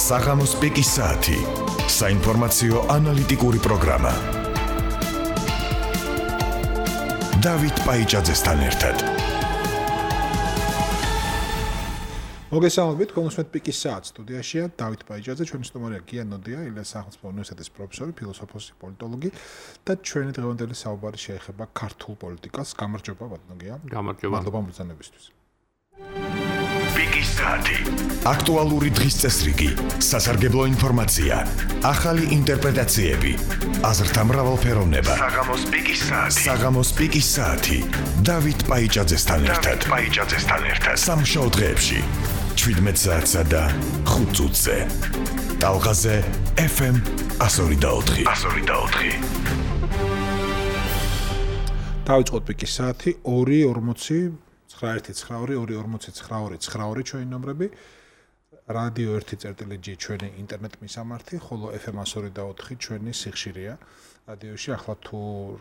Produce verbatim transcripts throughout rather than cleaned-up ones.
საღამოს პიკის საათი. საინფორმაციო ანალიტიკური პროგრამა. დავით პაიჭაძესთან ერთად. მოგესალმებით, კონსმეთ პიკის საათი სტუდიაშია დავით პაიჭაძე, ჩვენი სტუმარია გია ნოდია, ილიას სახელმწიფო უნივერსიტეტის პროფესორი, ფილოსოფოსი, პოლიტოლოგი და ჩვენი დღევანდელი საუბარი შეეხება ქართულ პოლიტიკას. გამარჯობა, ბატონო გია. გამარჯობა. მადლობა მოგზაურობისთვის. პიკის საათი. აქტუალური დღის წესრიგი, სასარგებლო ინფორმაცია, ახალი ინტერპრეტაციები, აზრთა მრავალფეროვნება. საღამოს პიკის საათი. საღამოს პიკის საათი. დავით პაიჭაძესთან ერთად. დავით პაიჭაძესთან ერთად. სამშაბათ დღეებში შვიდმეტ საათსა და ხუთ წუთზე. ტალღაზე ეფ ემ εκατო ორი და ოთხი. εκατო ორი და ოთხი. დავიწყოთ პიკის საათი ორი ორმოცი ცხრა ერთი ცხრა ორი ორი ორმოცი ცხრა ორი ცხრა ორი ჩვენი ნომრები. რადიო ერთი წერტილი ჯი ჩვენი ინტერნეტ მისამართი, ხოლო ეფ ემ εκατო ორი და ოთხი ჩვენი სიხშირეა. რადიოში ახლა თუ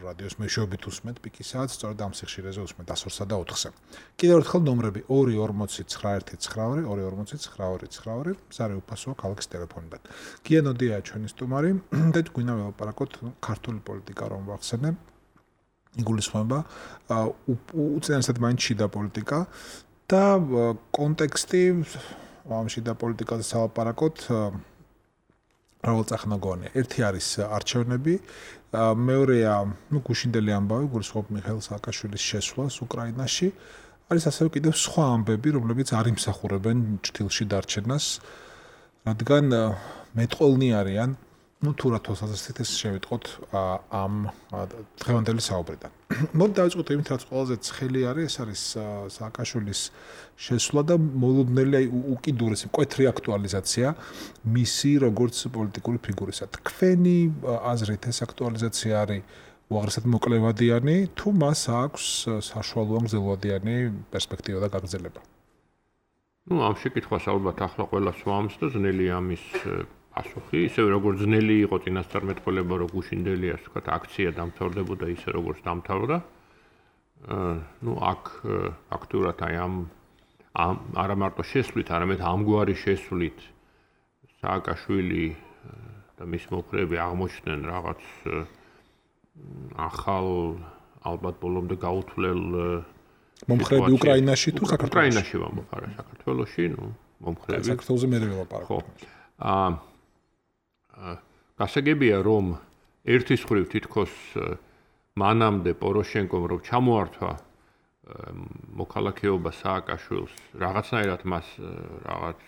რადიოს მეშვეობით უსმენთ პიკის საათს, სწორედ ამ სიხშირეზე უსმენთ εκατო ორსა და ოთხზე. კიდევ ერთხელ ნომრები ორი ორმოცი ცხრა ერთი ცხრა ორი ორი ორმოცი ცხრა ორი ცხრა ორი, მზარე უფასოა ქალაქის ტელეფონიდან. გია ნოდია ჩვენი სტუმარი და გვინდა ველაპარაკოთ ქართული პოლიტიკა რომ ვახსენებ. იგულისხმება უწინარესად მაინც შიდა პოლიტიკა და კონტექსტი ამ შიდა პოლიტიკაზე სალაპარაკოთ მრავალწახნაგოვანი. ერთი არის არჩევნები, მეორეა ნუ გუშინდელი ამბავი, გულისხმობ მიხეილ სააკაშვილის შესვლას უკრაინაში. არის ასევე კიდევ სხვა ამბები, რომლებიც არ იმსახურებენ ჭრილში დარჩენას, რადგან მეტყველნი არიან. ну თუ რა თვალსაზრისით ეს შევიტყოთ ამ დღევანდელი საუბრიდან. მოდი დავიწყოთ იმით, რაც ყველაზე ცხელი არის, ეს არის სააკაშვილის შესვლა და მოლოდნელი უკიდურესი მკვეთრი აქტუალიზაცია მისი როგორც პოლიტიკური ფიგურისა. თქვენი აზრით ეს აქტუალიზაცია არის უაღრესად მოკლევადიანი, თუ მას აქვს საშუალო გრძელვადიანი პერსპექტივა და გაგრძელება? ну ამ შეკითხვას ალბათ ახლა ყველას ვამს და ძნელი ამის ასუხი, ისევ როგორც ძნელი იყო წინასწარმეტყველება, რომ გუშინდელი ასე ვთქვათ, აქცია დამთავრდებოდა ისე როგორც დამთავრდა. ну აქ ფაქტურად აი ამ არა მარტო შესვლით, არამედ ამგვარი შესვლით სააკაშვილი და მის მომხრეები აღმოჩნდნენ რაღაც ახალ ალბათ ბოლომდე გაუთვლელ მომხრეები უკრაინაში თუ საქართველოში? უკრაინაში ვამბობ, არა საქართველოში, ну მომხრეები. საქართველოზე მე ველაპარაკობ. ხო. აა გასაგებია რომ ერთის მხრივ თითქოს მანამდე პოროშენკომ რომ ჩამოართვა მოქალაქეობა სააკაშვილს, რაღაცნაირად მას რაღაც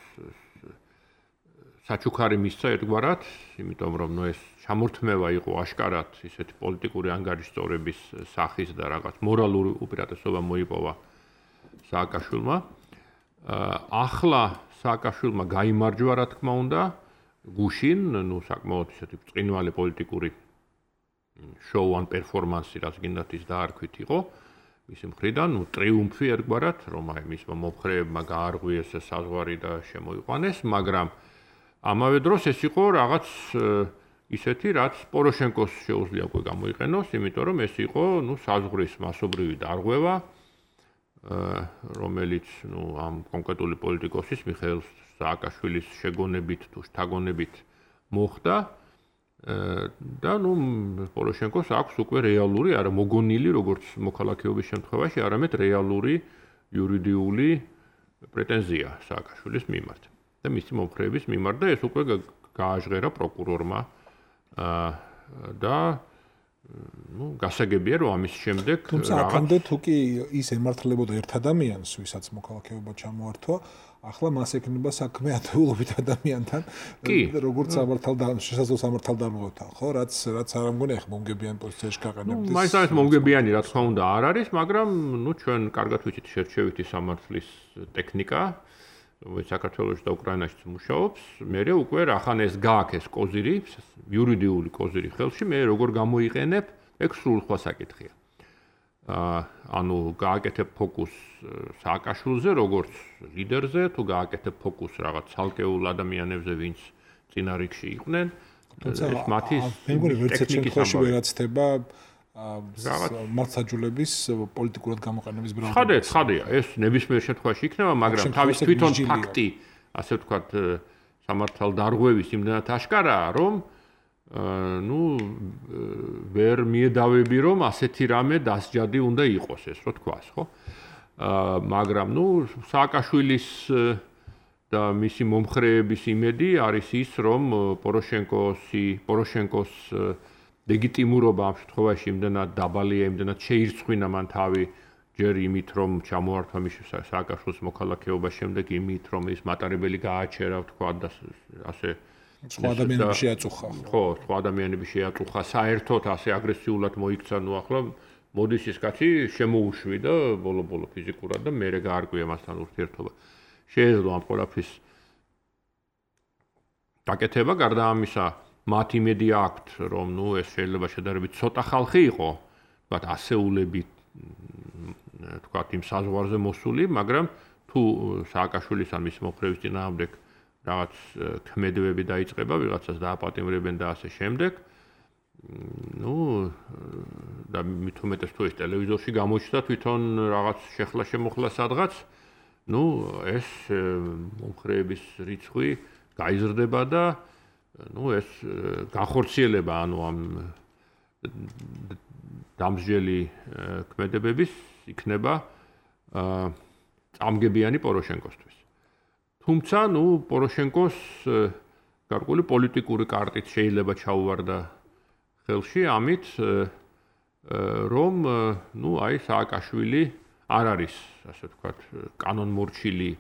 საჩუქარი მისცა ერთგვარად, იმიტომ რომ ნუ ეს ჩამორთმევა იყო აშკარად ისეთი პოლიტიკური ანგარიშწორების სახის და რაღაც მორალური უპირატესობა მოიპოვა სააკაშვილმა. ახლა სააკაშვილმა გაიმარჯვა, რა თქმა უნდა, გუშინ, ну საკმაოდ ისეთი ბრწყინვალე პოლიტიკური შოუ ან პერფორმანსი, რაც გინდათ ის დაარქვით იყო მისი მხრიდან, ну ტრიუმფი ერთგვარად, რომ აი მისმა მომხრეებმა გაარღვიეს საზღვარი და შემოიყვანეს, მაგრამ ამავე დროს ეს იყო რაღაც ისეთი, რაც პოროშენკოს შეუძლია უკვე გამოიყენოს, იმიტომ რომ ეს იყო, ну საზღვრის მასობრივი დარღვევა, რომელიც, ну ამ კონკრეტული პოლიტიკოსის მიხეილ სააკაშვილის შეგონებით თუ შთაგონებით მოხდა და ნუ პოროშენკოს აქვს უკვე რეალური, არა მოგონილი, როგორც მოქალაქეობის შემთხვევაში, არამედ რეალური იურიდიული პრეტენზია სააკაშვილის მიმართ და მისი მომხრეების მიმართ და ეს უკვე გააჟღერა პროკურორმა და ну გასაგებია რომ ამის შემდეგ თუმცა აქამდე თუ კი ის ემართლებოდა ერთ ადამიანს, ვისაც მოქალაქეობა ჩამოართვა, ახლა მას ექნება საქმე ათეულობით ადამიანთან, როგორც სამართალდამცავ შესაძლო სამართალდამცავთან, ხო, რაც რაც არ ამგონი ახლა მომგებიანი პოზიციაში გაყენებდეს. მაინც არის მომგებიანი, რა თქმა უნდა, არ არის, მაგრამ ну ჩვენ კარგად ვიცით შერჩევითი სამართლის ტექნიკა, რომელიც საქართველოში და უკრაინაში მუშაობს, მე უკვე რახან ეს გააქეს კოზირი, იურიდიული კოზირი ხელში, მე როგორ გამოიყენებ, ეგ სრულ სხვა საკითხია. აა ანუ გააკეთებ ფოკუს სააკაშვილზე, როგორც ლიდერზე, თუ გააკეთებ ფოკუს რაღაც ცალკეულ ადამიანებზე, ვინც წინა რიგში იყვნენ, ეს მათი ტექნიკის ვერაცდება მართლმსაჯულების პოლიტიკურად გამოყენების ბრალდება. ხადია, ხადია, ეს ნებისმიერ შემთხვევაში იქნება, მაგრამ თავის თვითონ ფაქტი, ასე ვთქვათ, სამართალდარღვევის იმდენად აშკარაა, რომ ну ვერ მიედავები რომ ასეთი რამე დასჯადი უნდა იყოს ეს რო თქვას, ხო? მაგრამ ну სააკაშვილის და მისი მომხრეების იმედი არის ის, რომ პოროშენკოსი, პოროშენკოს ლეგიტიმურობა ამ შემთხვევაში იმდენად დაბალია, იმდენად შეირცხვინა მან თავი ჯერ იმით, რომ ჩამოართვა მის სააკაშვილის მოქალაქეობა, შემდეგ იმით, რომ ის მატარებელი გააჩერა, თქვა და ასე სხვა ადამიანები შეაწუხა. ხო, სხვა ადამიანები შეაწუხა, საერთოდ ასე აგრესიულად მოიქცა, ნუ ახლა მოდის ის კაცი შემოუშვი და ბოლო-ბოლო ფიზიკურად და მერე გაარკვია მასთან ურთიერთობა. შეეძლო ამ ყველაფრის დაკეთება, გარდა ამისა, მათ იმედი აქვთ, რომ ნუ ეს შეიძლება შედარებით ცოტა ხალხი იყო, თქვათ ასეულებით, თქვათ იმ საზღვარზე მოსული, მაგრამ თუ სააკაშვილის ან მის მომხრეების წინააღმდეგ რაღაც ქმედებები დაიწყება, ვიღაცას დააპატიმრებენ და ასე შემდეგ. ну და მით უმეტეს თუ ეს ტელევიზორში გამოჩნდა თვითონ რაღაც შეხლა შემოხლა სადღაც, ну ეს მომხრეების რიცხვი გაიზრდება და ну ეს განხორციელება ანუ ამ დამსჯელი ქმედებების იქნება წამგებიანი პოროშენკოსთვის. თუმცა ну პოროშენკოს გარკვეული პოლიტიკური კარტით შეიძლება ჩაუვარდა ხელში ამით რომ ну აი სააკაშვილი არ არის ასე ვთქვათ კანონმორჩილი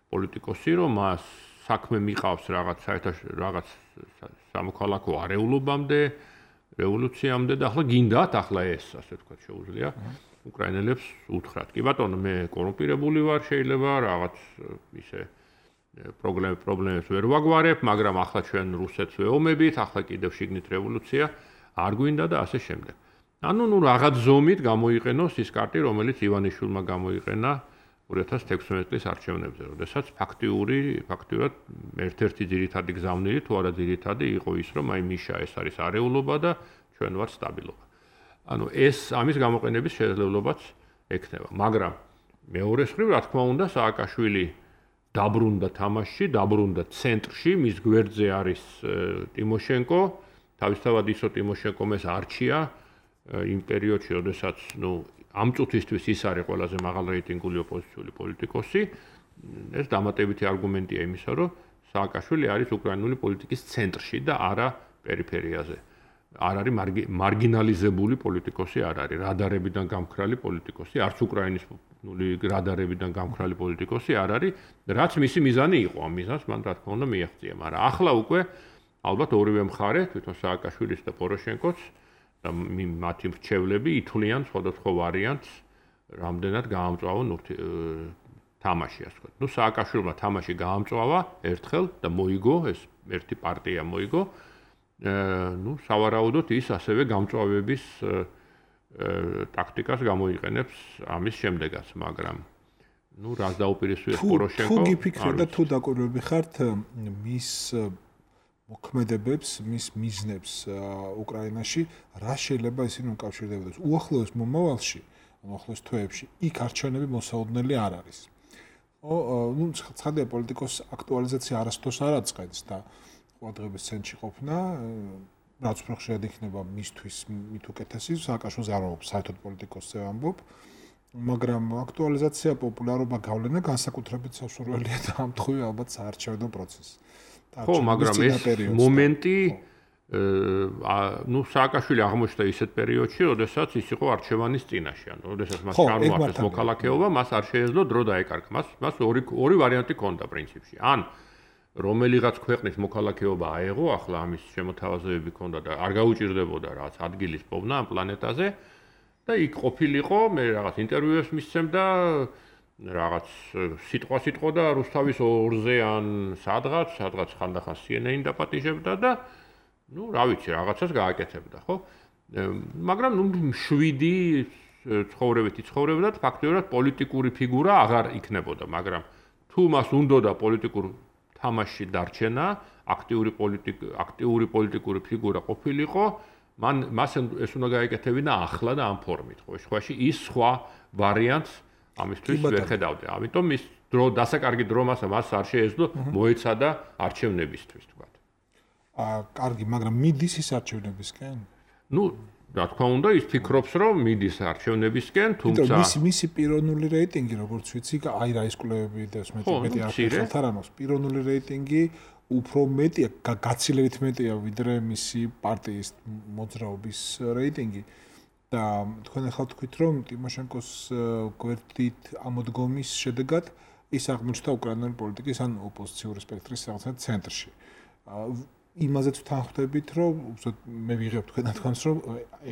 პოლიტიკოსი, რომ მას საქმე მიყავს რაღაც საერთაშორისო რაღაც სამოქალაქო არეულობამდე, რევოლუციამდე და ახლა გინდათ ახლა ეს ასე ვთქვათ შეუძლია უკრაინელებს უთხრათ. კი ბატონო, მე კორუმპირებული ვარ, შეიძლება რაღაც ისე პრობლემ პრობლემებს ვერ ვაგვარებ, მაგრამ ახლა ჩვენ რუსეთს ვეომებით, ახლა კიდევ შიგნით რევოლუცია არ გვინდა და ასე შემდეგ. ანუ ნუ რაღაც ზომით გამოიყენოს ის კარტი, რომელიც ივანიშვილმა გამოიყენა ორი ათას თექვსმეტი წლის არჩევნებზე, როდესაც ფაქტიური, ფაქტურად ერთ-ერთი ძირითადი გზავნილი თუ არა ძირითადი იყო ის, რომ აი მიშა ეს არის არეულობა და ჩვენ ვართ სტაბილობა. ანუ ეს ამის გამოყენების შესაძლებლობაც ექნება, მაგრამ მეორეს მხრივ, რა თქმა უნდა, სააკაშვილი დაბრუნდა თამაშში, დაბრუნდა ცენტრში, მის გვერდზე არის ტიმოშენკო, თავისთავად ისო ტიმოშენკომ ეს არჩია იმ პერიოდში, როდესაც ნუ ამ წუთისთვის ის არის ყველაზე მაღალ რეიტინგული ოპოზიციური პოლიტიკოსი. ეს დამატებითი არგუმენტია იმისა, რომ სააკაშვილი არის უკრაინული პოლიტიკის ცენტრში და არა პერიფერიაზე. არ არის მარგინალიზებული პოლიტიკოსი, არ არის რადარებიდან გამქრალი პოლიტიკოსი, არც უკრაინის რადარებიდან გამქრალი პოლიტიკოსი არ არის, რაც მისი მიზანი იყო. ამ მიზანს მან რა თქმა უნდა მიაღწია, მაგრამ ახლა უკვე ალბათ ორივე მხარე, თვითონ სააკაშვილის და პოროშენკოს და მათი მრჩევლები ითვლიან სხვადასხვა ვარიანტს, რამდენად გაამწვავონ თამაში, ასე ვთქვათ. ნუ სააკაშვილმა თამაში გაამწვავა ერთხელ და მოიგო, ეს ერთი პარტია მოიგო. ნუ სავარაუდოდ ის ასევე გამწვავების ტაქტიკას გამოიყენებს ამის შემდეგაც, მაგრამ ნუ რას დაუპირისპირებს პოროშენკო? თუ გიფიქრეთ და თუ დაკვირვები ხართ მის მოქმედებებს, მის მიზნებს უკრაინაში, რა შეიძლება ისინი უკავშირდებოდეს? უახლოეს მომავალში, უახლოეს თვეებში, იქ არჩევნები მოსაოდნელი არ არის. ო, ნუ ცხადია პოლიტიკოს აქტუალიზაცია არასდროს არ აწყენს და ყურადღების ცენტრში ყოფნა, რაც უფრო ხშირად იქნება მისთვის მით უკეთესი, სააკაშვილს არ ვამბობ, საერთოდ პოლიტიკოსზე ვამბობ, მაგრამ აქტუალიზაცია, პოპულარობა გავლენა განსაკუთრებით სასურველია და ამ თხოვი ალბათ საარჩევნო პროცესი. ხო, მაგრამ ეს მომენტი, ნუ სააკაშვილი აღმოჩნდა ისეთ პერიოდში, როდესაც ის იყო არჩევანის წინაშე, ანუ როდესაც მას ჩაარმოაყენეს მოქალაქეობა, მას არ შეეძლო დრო დაეკარგა. მას მას ორი ორი ვარიანტი ჰქონდა პრინციპში. ან რომელიღაც ქვეყნის მოქალაქეობა აეღო, ახლა ამის შემოთავაზებები ჰქონდა და არ გაუჭირდებოდა რაღაც ადგილის პოვნა ამ პლანეტაზე და იქ ყოფილიყო, მე რაღაც ინტერვიუებს მისცემდა, რაღაც სიტყვა სიტყოდა რუსთავის ორზე ან სადღაც, სადღაც ხანდახან C N N დაპატიჟებდა და ნუ რა ვიცი, რაღაცას გააკეთებდა, ხო? მაგრამ ნუ შვიდი ცხოვრებითი ცხოვრებდა და ფაქტობრივად პოლიტიკური ფიგურა აღარ იქნებოდა, მაგრამ თუ მას უნდოდა პოლიტიკურ თამაში დარჩენა, აქტიური პოლიტიკ აქტიური პოლიტიკური ფიგურა ყოფილიყო, მან მას ეს უნდა გაეკეთებინა ახლა და ამ ფორმით, ხო? შემთხვევაში ის სხვა ვარიანტს ამისთვის ვერ ხედავდა. ამიტომ ის დრო დასაკარგი დრო მას მას არ შეეძლო მოეცადა არჩევნებისთვის თქვა. აა კარგი, მაგრამ მიდის ის არჩევნებისკენ? ნუ რა თქმა უნდა ის ფიქრობს რომ მიდის არჩევნებისკენ, თუმცა მისი მისი პიროვნული რეიტინგი როგორც ვიცი, აი რა ის კვლევები და მეტი მეტი არხელთ არამოს პიროვნული რეიტინგი უფრო მეტია, გაცილებით მეტია ვიდრე მისი პარტიის მოძრაობის რეიტინგი. და თქვენ ახლა თქვით რომ ტიმოშენკოს გვერდით ამოდგომის შედეგად ის აღმოჩნდა უკრაინული პოლიტიკის ან ოპოზიციური სპექტრის რაღაცა ცენტრში. იმაზეც ვთანხმდებით რომ უბრალოდ მე ვიღებ თქვენ თქვენს რომ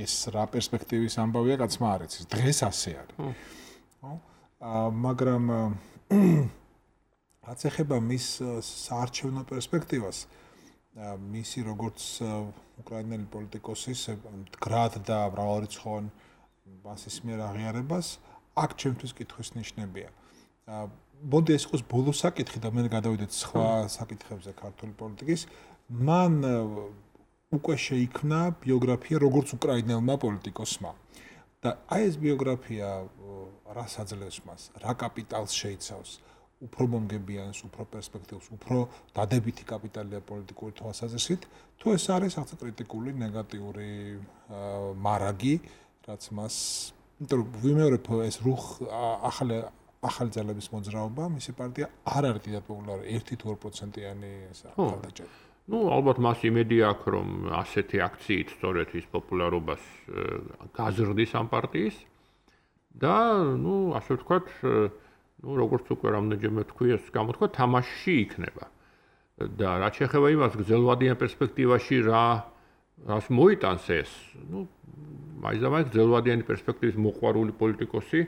ეს რა პერსპექტივის ამბავია კაცმა არ იცის. დღეს ასე არის. ხო? მაგრამ რაც ეხება მის საარჩევნო პერსპექტივას მისი როგორც უკრაინელი პოლიტიკოსის მდგრად და მრავალრიცხოვან მასის მიერ აღიარებას აქ ჩემთვის კითხვის ნიშნებია. მოდი ეს იყოს ბოლო საკითხი და მე გადავიდეთ სხვა საკითხებზე ქართული პოლიტიკის. მან უკვე შეიქმნა ბიოგრაფია როგორც უკრაინელმა პოლიტიკოსმა. და აი ეს ბიოგრაფია რას აძლევს მას, რა კაპიტალს შეიცავს, უფრო მომგებიანს, უფრო პერსპექტივს, უფრო დადებითი კაპიტალია პოლიტიკური თვალსაზრისით, თუ ეს არის ახლა კრიტიკული, ნეგატიური მარაგი, რაც მას, იმიტომ რომ ვიმეორებ ეს რუხ ახალი ახალი ძალების მოძრაობა, მისი პარტია არ არის დიდად პოპულარული, ერთი თუ ორი პროცენტიანი ესა ხალხი. ნუ ალბათ მას იმედი აქვს, რომ ასეთი აქციით სწორედ ის პოპულარობას გაზრდის ამ პარტიის და ნუ ასე ვთქვათ ну, როგორც უკვე რამდენჯერმე თქვი, ეს გამოთქვა თამაშში იქნება. და რაც შეეხება იმას, გრძელვადიან პერსპექტივაში რა რას მოიტანს ეს, ну, მაინც და მაინც გრძელვადიანი პერსპექტივის მოყვარული პოლიტიკოსი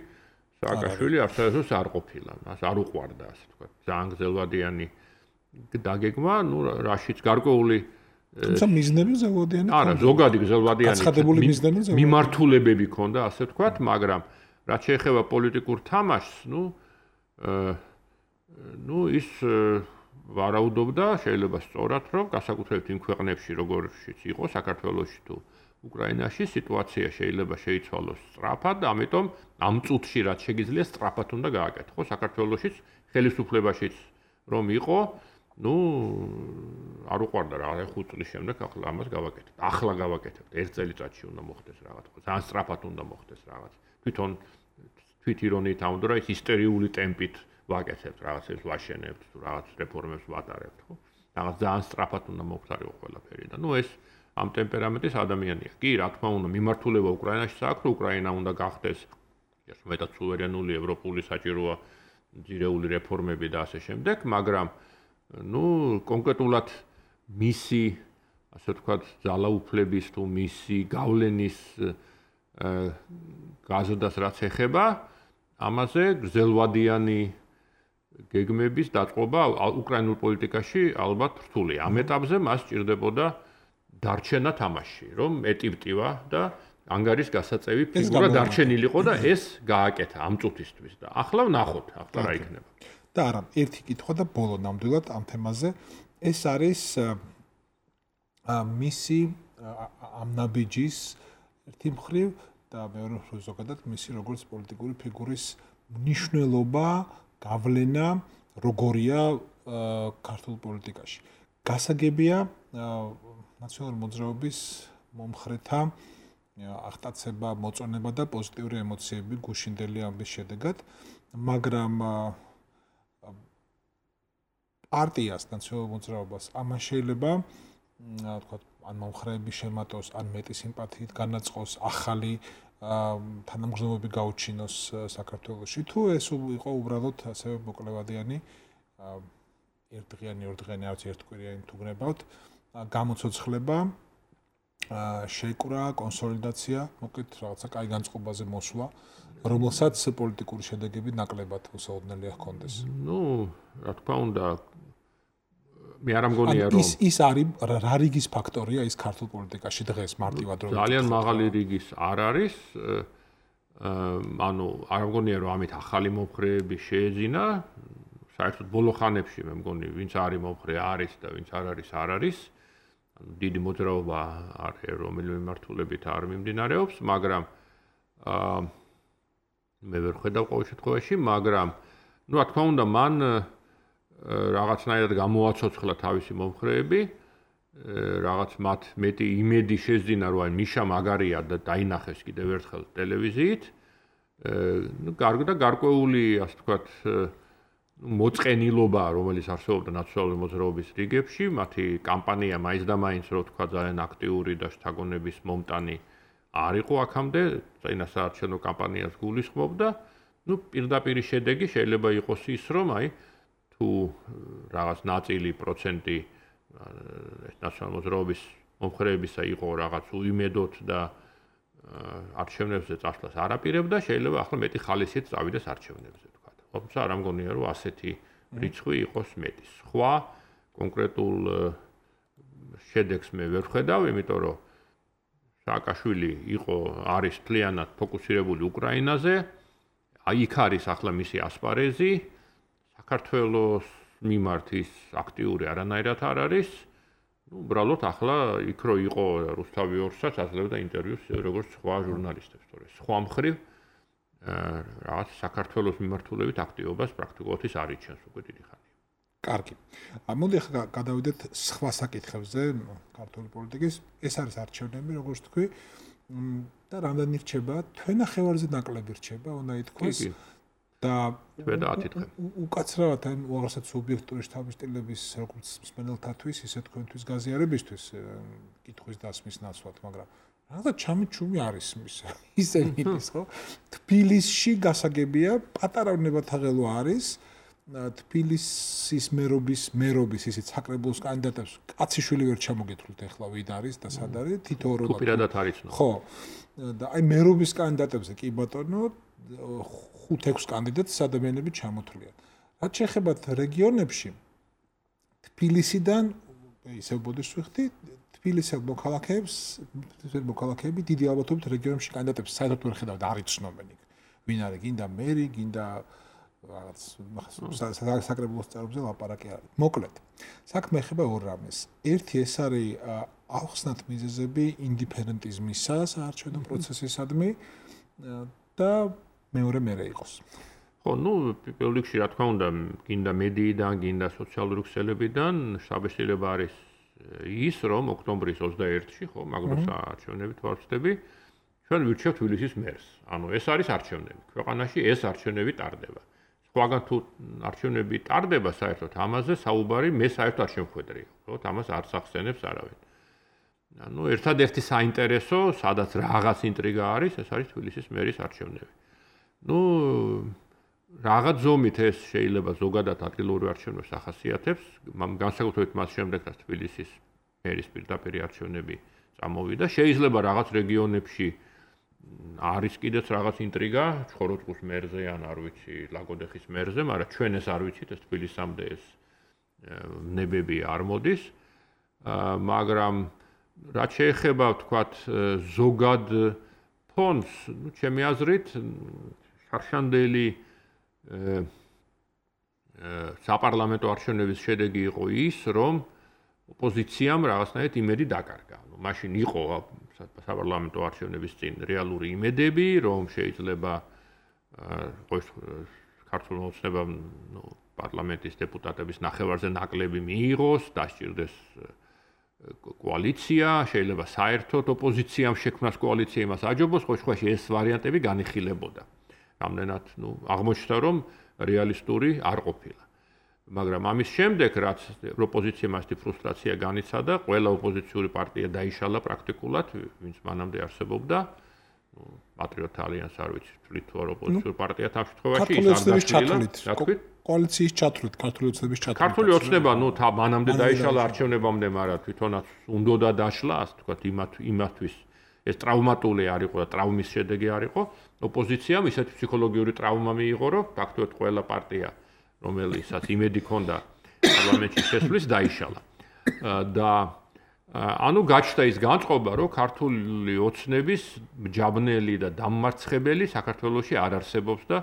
სააკაშვილი არცერთოს არ ყოფილა, მას არ უყვარდა, ასე ვთქვათ. ძალიან გრძელვადიანი დაგეგმა, ну, რაშიც გარკვეული თუმცა მიზნები გრძელვადიანი არა, ზოგადი გრძელვადიანი გაცხადებული მიზნები მიმართულებები ქონდა, ასე ვთქვათ, მაგრამ რაც შეეხება პოლიტიკურ თამაშს, ну, ну ის ვარაუდობდა, შეიძლება სწორად, რომ გასაკუთრებით იმ ქვეყნებში, როგორშიც იყო საქართველოში თუ უკრაინაში, სიტუაცია შეიძლება შეიცვალოს სწრაფად, ამიტომ ამ წუთში რაც შეგიძლია სწრაფად უნდა გააკეთო. საქართველოშიც ხელისუფლებაშიც რომ იყო, ну არ უყვარდა რა, ხუთ წლის შემდეგ ახლა ამას გავაკეთებთ. ახლა გავაკეთებთ. ერთ წელიწადში უნდა მოხდეს რაღაც. ძალიან სწრაფად უნდა მოხდეს რაღაც. თვითონ თვით ირონიით ამბობ, რომ ის ისტერიული ტემპით ვაკეთებთ, რაღაცებს ვაშენებთ, თუ რაღაც რეფორმებს ვატარებთ, ხო? რაღაც ძალიან სწრაფად უნდა მოხდარიყო ყველაფერი და ნუ ეს ამ ტემპერამენტის ადამიანია. კი, რა თქმა უნდა, მიმართულება უკრაინაშიც აქვს, რომ უკრაინა უნდა გახდეს მეტად სუვერენული, ევროპული საჭიროა ძირეული რეფორმები და ასე შემდეგ, მაგრამ ნუ კონკრეტულად მისი, ასე ვთქვათ, ძალაუფლების თუ მისი გავლენის გაზრდას რაც ეხება, ამაზე გრძელვადიანი გეგმების დაწყობა უკრაინულ პოლიტიკაში ალბათ რთულია. ამ ეტაპზე მას სჭირდებოდა დარჩენა თამაში, რომ ეტიპტივა და ანგარის გასაწევი ფიგურა დარჩენილიყო და ეს გააკეთა ამ წუთისთვის და ახლა ვნახოთ, ახლა რა იქნება. და არა, ერთი კითხვა და ბოლო ნამდვილად ამ თემაზე, ეს არის მისი ამ ნაბიჯის ერთი მხრივ და მეორე მხრივ ზოგადად მისი როგორც პოლიტიკური ფიგურის მნიშვნელობა, გავლენა როგორია ქართულ პოლიტიკაში. გასაგებია ნაციონალური მოძრაობის მომხრეთა აღტაცება, მოწონება და პოზიტიური ემოციები გუშინდელი ამბის შედეგად, მაგრამ პარტიას, ნაციონალურ მოძრაობას ამან შეიძლება თქვა ან მომხრეები შემატოს, ან მეტი სიმპათიით განაწყოს, ახალი თანამგრძნობები გაუჩინოს საქართველოში, თუ ეს იყო უბრალოდ ასევე მოკლევადიანი ერთდღიანი, ორდღიანი, არც ერთკვირიანი თუ გნებავთ, გამოცოცხლება, შეიკვრა, კონსოლიდაცია, მოკლედ რაღაცა კაი განწყობაზე მოსვლა, რომელსაც პოლიტიკური შედეგები ნაკლებად უსაოდნელია ჰქონდეს. ნუ, რა თქმა უნდა, მე არ ამგონია რომ ის ის არის რა რიგის ფაქტორია ის ქართულ პოლიტიკაში დღეს მარტივად რომ ძალიან მაღალი რიგის არ არის, ანუ არ ამგონია რომ ამით ახალი მომხრეები შეეძინა, საერთოდ ბოლო ხანებში მე მგონი ვინც არის მომხრე არის და ვინც არ არის არ არის. ანუ დიდი მოძრაობა არის რომელიმე მიმართულებით არ მიმდინარეობს, მაგრამ აა მე ვერ ხედავ ყოველ შემთხვევაში, მაგრამ ну, რა თქმა უნდა, მან რაღაცნაირად გამოაცოცხლა თავისი მომხრეები, რაღაც მათ მეტი იმედი შეძინა, რომ აი მიშა მაგარია და დაინახეს კიდევ ერთხელ ტელევიზიით. ну, გარდა გარკვეული, ასე ვთქვათ, მოწყენილობა, რომელიც არსებობდა ნაციონალური მოძრაობის რიგებში, მათი კამპანია მაინც და მაინც, რო ვთქვა, ძალიან აქტიური და შთაგონების მომტანი არ იყო აქამდე, წინასაარჩევნო კამპანიას გულისხმობდა. ну, პირდაპირი შედეგი შეიძლება იყოს ის, რომ აი თუ რაღაც ნაწილი პროცენტი ეს ნაციონალური მოძრაობის მომხრეებისა იყო რაღაც უიმედოთ და არჩევნებზე წასვლას არ აპირებდა, შეიძლება ახლა მეტი ხალისით წავიდეს არჩევნებზე, თქვა. თუმცა არ ამგონია, რომ ასეთი რიცხვი იყოს მეტი. სხვა კონკრეტულ შედეგს მე ვერ ვხედავ, იმიტომ რომ სააკაშვილი იყო არის მთლიანად ფოკუსირებული უკრაინაზე, აი იქ არის ახლა მისი ასპარეზი, საქართველოს მიმართ ის აქტიური არანაირად არ არის. ну, უბრალოდ ახლა იქ რო იყო რუსთავი ორსაც აძლევდა ინტერვიუს როგორც სხვა ჟურნალისტებს, თორე სხვა მხრივ რაღაც საქართველოს მიმართულებით აქტივობას პრაქტიკულად ის არ იჩენს უკვე დიდი ხანია. კარგი. მოდი ახლა გადავიდეთ სხვა საკითხებზე ქართული პოლიტიკის. ეს არის არჩევნები, როგორც თქვი, და რამდენი რჩება, თვენახევარზე ნაკლები რჩება, უნდა ითქვას. და უკაცრავად ან უაღრესად სუბიექტური შთაბეჭდილების როგორც მსმენელთათვის, ისე თქვენთვის გაზიარებისთვის კითხვის დასმის ნაცვლად, მაგრამ რაღაცა ჩამიჩუმი არის მის ისე მიდის, ხო? თბილისში გასაგებია, პატარა ნებათაღელო არის, თბილისის მერობის მერობის ისეთ საკრებულოს კანდიდატებს კაციშვილი ვერ ჩამოგეთვლით ახლა ვინ არის და სად არის, თითოეულ თუ პირადად არის ნო. ხო. და აი მერობის კანდიდატებზე კი ბატონო ხუთ-ექვს კანდიდატს ადამიანები ჩამოთვლიან. რაც შეეხება რეგიონებში, თბილისიდან ისევ ბოდიშს ვიხდი, თბილისელ მოქალაქეებს, თბილისელ მოქალაქეები დიდი ალბათობით რეგიონებში კანდიდატებს საერთოდ ვერ ხედავთ, არ იცნობენ იქ. ვინ არის, გინდა მერი, გინდა რაღაც საკრებულოს წევრებზე ლაპარაკი არის. მოკლედ, საქმე ეხება ორ რამეს. ერთი ეს არის ახსნათ მიზეზები ინდიფერენტიზმისა საარჩევნო პროცესისადმი და მეორე მერე იყოს. ხო, ну, პირველ რიგში რა თქმა უნდა, გინდა მედიიდან, გინდა სოციალური ქსელებიდან შთაბეჭდილება არის ის, რომ ოქტომბრის ოცდაერთში, ხო, მაგროს არჩევნებით ვარჩევდი, ჩვენ ვირჩევთ თბილისის მერს. ანუ ეს არის არჩევნები. ქვეყანაში ეს არჩევნები ტარდება. სხვაგან თუ არჩევნები ტარდება საერთოდ ამაზე საუბარი მე საერთოდ არ შემხვედრია, ხო, ამას არ სახსენებს არავინ. ანუ ერთადერთი საინტერესო, სადაც რაღაც ინტრიგა არის, ეს არის თბილისის მერის არჩევნები. ну, რაღაც ზომით ეს შეიძლება ზოგადად ადგილობრივ არჩევნებს ახასიათებს, განსაკუთრებით მას შემდეგ, რაც თბილისის მერის პირდაპირი არჩევნები წამოვიდა, შეიძლება რაღაც რეგიონებში არის კიდეც რაღაც ინტრიგა, ჩხოროწყუს მერზე ან არ ვიცი, ლაგოდეხის მერზე, მაგრამ ჩვენ ეს არ ვიცით, ეს თბილისამდე ეს ნებები არ მოდის. მაგრამ რაც შეეხება, ვთქვათ, ზოგად ფონს, ну, ჩემი აზრით, შარშანდელი საპარლამენტო არჩევნების შედეგი იყო ის, რომ ოპოზიციამ რაღაცნაირად იმედი დაკარგა. ну, მაშინ იყო საპარლამენტო არჩევნების წინ რეალური იმედები, რომ შეიძლება ქართულ ოცნებამ ну, პარლამენტის დეპუტატების ნახევარზე ნაკლები მიიღოს, დასჭირდეს კოალიცია, შეიძლება საერთოდ ოპოზიციამ შექმნას კოალიცია იმას აჯობოს, ხო სხვაში ეს ვარიანტები განიხილებოდა. რამდენად, ну, აღმოჩნდა, რომ რეალისტური არ ყოფილა. მაგრამ ამის შემდეგ, რაც ოპოზიციამ ასეთი ფრუსტრაცია განიცადა, ყველა ოპოზიციური პარტია დაიშალა პრაქტიკულად, ვინც მანამდე არსებობდა. ну, პატრიოტ ალიანს არ ვიცი, თვლით თუ არ ოპოზიციური პარტია ამ შემთხვევაში ის არ დაშლილა. კოალიციის ჩათვლით, ქართული ოცნების ჩათვლით. ქართული ოცნება, ну, მანამდე დაიშალა არჩევნებამდე, მაგრამ თვითონაც უნდოდა დაშლა, ასე ვთქვათ, იმათ იმათთვის ეს ტრავმატული არ იყო და ტრავმის შედეგი არ იყო. ოპოზიციამ ისეთი ფსიქოლოგიური ტრავმა მიიღო, რომ ფაქტობრივად ყველა პარტია, რომელიცაც იმედი ჰქონდა პარლამენტში შესვლის, დაიშალა. და ანუ გაჩნდა ის განწყობა, რომ ქართული ოცნების მჯაბნელი და დამმარცხებელი საქართველოში არ არსებობს და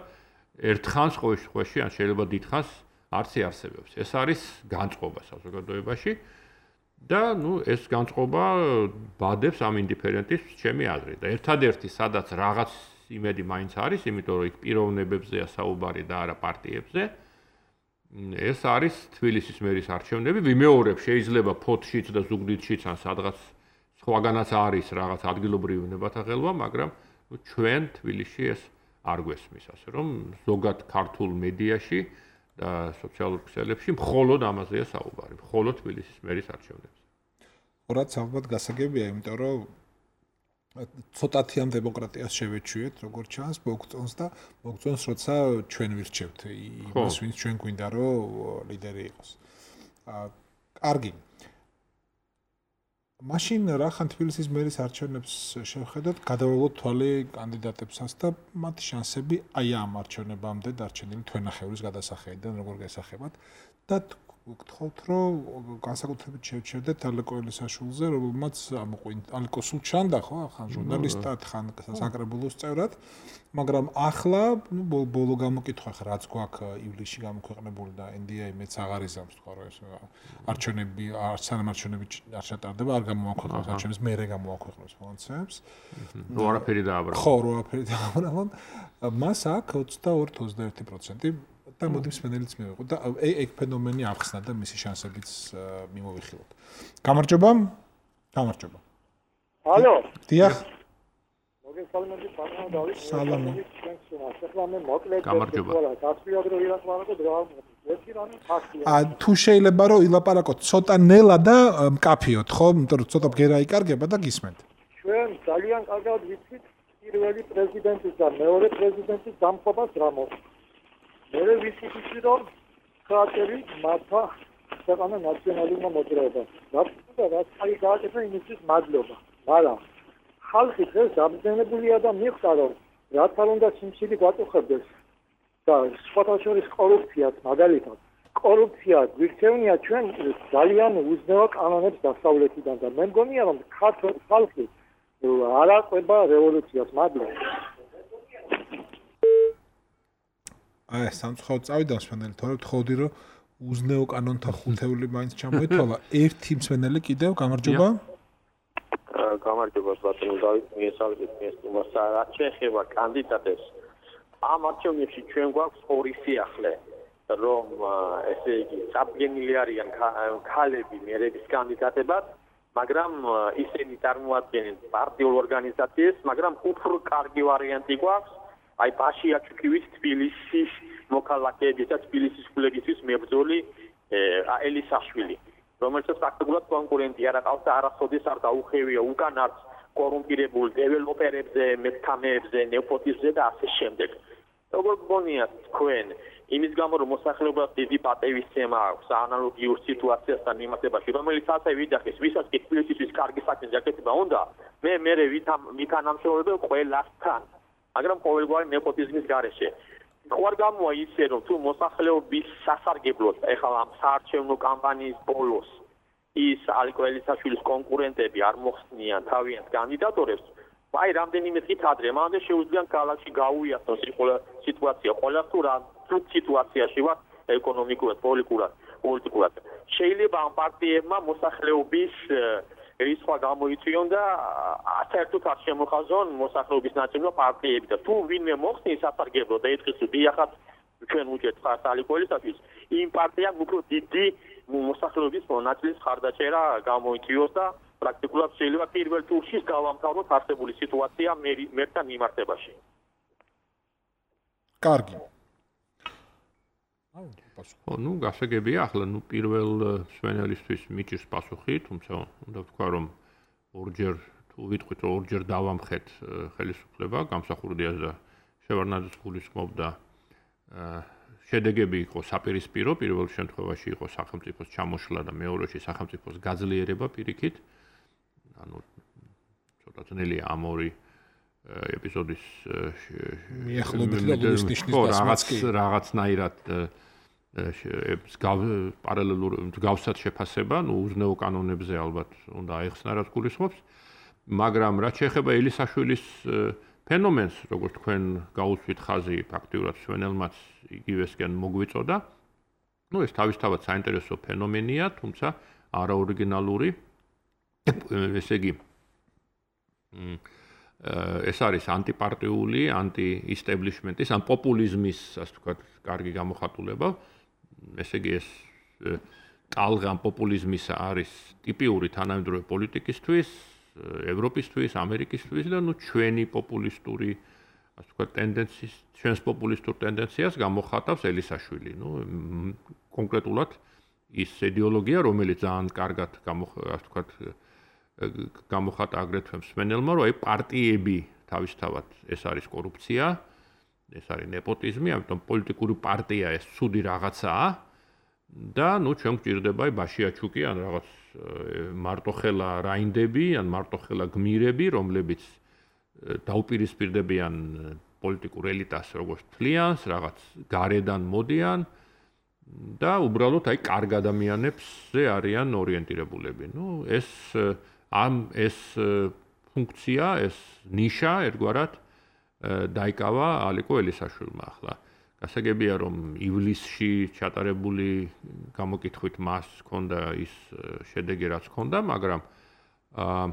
ერთხანს ყოველში ან შეიძლება დიდხანს არც იარსებებს. ეს არის განწყობა საზოგადოებაში და ну ეს განწყობა ბადებს ამ ინდიფერენტის ჩემი აზრით. და ერთადერთი სადაც რაღაც იმედი მაინც არის, იმიტომ რომ იქ პიროვნებებზეა საუბარი და არა პარტიებზე. ეს არის თბილისის მერის არჩევნები. ვიმეორებ, შეიძლება ფოთშიც და ზუგდიდშიც ან სადღაც სხვაგანაც არის რაღაც ადგილობრივი ნებათა ხელვა, მაგრამ ჩვენ თბილისში ეს არ გვესმის, ასე რომ ზოგად ქართულ მედიაში და სოციალურ ქსელებში მხოლოდ ამაზეა საუბარი, მხოლოდ თბილისის მერის არჩევნებზე. რაც ალბათ გასაგებია, იმიტომ რომ ცოტათი ამ დემოკრატიას შევეჩვიეთ, როგორც ჩანს, მოგწონს და მოგწონს, როცა ჩვენ ვირჩევთ იმას, ვინც ჩვენ გვინდა, რომ ლიდერი იყოს. აა, კარგი. მაშინ რახან თბილისის მერის არჩევნებს შევხედოთ, გადავავლოთ თვალი კანდიდატებსაც და მათი შანსები აი ამ არჩევნებამდე დარჩენილი თვენახევრის გადასახედიდან როგორ გასახებათ და გთხოვთ, რომ განსაკუთრებით შევჩერდეთ ალეკო ელისაშვილზე, რომელმაც ალეკო სულ ჩანდა, ხო, ხან ჟურნალისტად, ხან საკრებულოს წევრად, მაგრამ ახლა, ნუ ბოლო გამოკითხვა ხა რაც გვაქვს ივლისში გამოქვეყნებული და ენ დი ეი მეც აღარ იზამს, თქვა რომ ეს არჩევნები, არჩევნები არ ჩატარდება, არ გამოაქვეყნებს არჩევნებს, მერე გამოაქვეყნებს მონაცემებს. რო არაფერი დააბრალა. ხო, რო არაფერი დააბრალა. მას აქვს ოცდაორი ოცდაერთი პროცენტი და მოდი მსმენელიც მივიღოთ და ეგ ფენომენი ახსნა და მისი შანსებიც მიმოვიხილოთ. გამარჯობა. გამარჯობა. ალო. დიახ. მოგესალმებით, ბატონო დავით. სალამი. ახლა მე მოკლედ გამარჯობა. დასწრებად რო ილაპარაკო რა ერთი რამე ფაქტია. ა თუ შეიძლება რომ ილაპარაკოთ ცოტა ნელა და მკაფიოთ, ხო? იმიტომ რომ ცოტა ბგერა იკარგება და გისმენთ. ჩვენ ძალიან კარგად ვიცით პირველი პრეზიდენტის და მეორე პრეზიდენტის დამხობას რა მოხდა. მე ვიცით ის რომ ხატები მართა ქვეყანა ნაციონალურმა მოძრაობამ. რაც და რაც აი გააკეთა იმისთვის მადლობა. მაგრამ ხალხი დღეს დამძენებულია და მიხვდა რომ რაც არ უნდა სიმშვიდი გვაწუხებდეს და სხვათა შორის კორუფციას მაგალითად კორუფცია გვირჩევნია ჩვენ ძალიან უზნეო კანონებს დასავლეთიდან და მე მგონია რომ ქართული ხალხი არ აყვება რევოლუციას. მადლობა. აი, სამწუხაროდ წავიდა მსმენელი, თორემ თხოვდი რომ უზნეო კანონთა ხუთეული მაინც ჩამოეთვალა. ერთი მსმენელი კიდევ, გამარჯობა. გამარჯობა ბატონო დავით, მიესალმებით მესტუმარს. რაც შეეხება კანდიდატებს, ამ არჩევნებში ჩვენ გვაქვს ორი სიახლე, რომ ესე იგი წარდგენილი არიან ქალები მერების კანდიდატებად, მაგრამ ისინი წარმოადგენენ პარტიულ ორგანიზაციას, მაგრამ უფრო კარგი ვარიანტი გვაქვს აი ბაშია ჩუქივის თბილისის მოქალაქეების და თბილისის ფლეგისთვის მებრძოლი ელისაშვილი, რომელსაც პრაქტიკულად კონკურენტი არ აყავს და არასოდეს არ დაუხევია უკან არც კორუმპირებულ დეველოპერებზე, მეთამეებზე, ნეპოტიზმზე და ასე შემდეგ. როგორ გგონიათ თქვენ, იმის გამო რომ მოსახლეობას დიდი პატევისცემა აქვს ანალოგიურ სიტუაციასთან მიმართებაში, რომელიც ასე ვიძახის, ვისაც კი თბილისის კარგი საქმის გაკეთება უნდა, მე მე ვითანამშრომლებელ ყველასთან, მაგრამ ყოველგვარი ნეპოტიზმის გარეშე. ხوار გამოა ისე რომ თუ მოსახლეობის სასარგებლოდ ეხლა ამ საარჩევნო კამპანიის ბოლოს ის ალეკო ელისაშვილის კონკურენტები არ მოხსნიან თავიანთ კანდიდატორებს, აი რამდენიმე დღით ადრე მანამდე შეუძლიათ ქალაქში გაუიასნოს სიტუაცია, ყველა თუ რა თუთ სიტუაციაში ვარ ეკონომიკურად, პოლიტიკურად, პოლიტიკურად. შეიძლება ამ პარტიებმა მოსახლეობის რისხვა გამოიწვიონ და საერთოდ არ შემოხაზონ მოსახლეობის ნაწილმა პარტიები და თუ ვინმე მოხსნის სასარგებლო და ეთქვის დიახაც ჩვენ უჭერთ ხართ ალეკო ელისაშვილს, იმ პარტიამ უფრო დიდი მოსახლეობის ნაწილის ხარდაჭერა გამოიწვიოს და პრაქტიკულად შეიძლება პირველ ტურში გავამთავროთ არსებული სიტუაცია მერთან მიმართებაში. კარგი. ხო, ნუ გასაგებია, ახლა ნუ პირველ მსმენელისთვის მიჭირს პასუხი, თუმცა უნდა ვთქვა, რომ ორჯერ თუ ვიტყვით, რომ ორჯერ დავამხეთ ხელისუფლება, გამსახურდიას და შევარდნაძის გულისხმობ და შედეგები იყო საპირისპირო, პირველ შემთხვევაში იყო სახელმწიფოს ჩამოშლა და მეორეში სახელმწიფოს გაძლიერება პირიქით. ანუ ცოტა ძნელია ამ ორი ეპიზოდის მიახლოებით და ნიშნის რაღაც რაღაცნაირად პარალელურ მსგავსად შეფასება, ნუ უზნეო კანონებზე ალბათ უნდა აეხსნა რაც გულისხმობს, მაგრამ რაც შეეხება ელისაშვილის ფენომენს, როგორც თქვენ გაუსვით ხაზი ფაქტიურად მსმენელმაც იგივესკენ მოგვიწოდა, ნუ ეს თავისთავად საინტერესო ფენომენია, თუმცა არაორიგინალური. ესე იგი ეს არის ანტიპარტიული, ანტი-ისტებლიშმენტის, ან პოპულიზმის, ასე ვთქვათ, კარგი გამოხატულება. ესე იგი ეს ტალღა პოპულიზმისა არის ტიპიური თანამედროვე პოლიტიკისთვის, ევროპისთვის, ამერიკისთვის და ნუ ჩვენი პოპულისტური, ასე ვთქვათ, ტენდენციის, ჩვენს პოპულისტურ ტენდენციას გამოხატავს ელისაშვილი. ნუ კონკრეტულად ის იდეოლოგია, რომელიც ძალიან კარგად ასე ვთქვათ, გამოხატა აგრეთვე მსმენელმა, რომ აი პარტიები თავისთავად ეს არის კორუფცია, ეს არის ნეპოტიზმი, ამიტომ პოლიტიკური პარტია ეს ცუდი რაღაცაა და ნუ ჩვენ გვჭირდება აი ბაშიაჩუკი ან რაღაც მარტოხელა რაინდები ან მარტოხელა გმირები, რომლებიც დაუპირისპირდებიან პოლიტიკურ ელიტას როგორც თლიანს, რაღაც გარედან მოდიან და უბრალოდ აი კარგ ადამიანებზე არიან ორიენტირებულები. ნუ ეს ამ ეს ფუნქცია, ეს ნიშა ერთგვარად დაიკავა ალიკო ელისაშვილმა ახლა. გასაგებია რომ ივლისში ჩატარებული გამოკითხვით მას ჰქონდა ის შედეგი რაც ჰქონდა, მაგრამ აა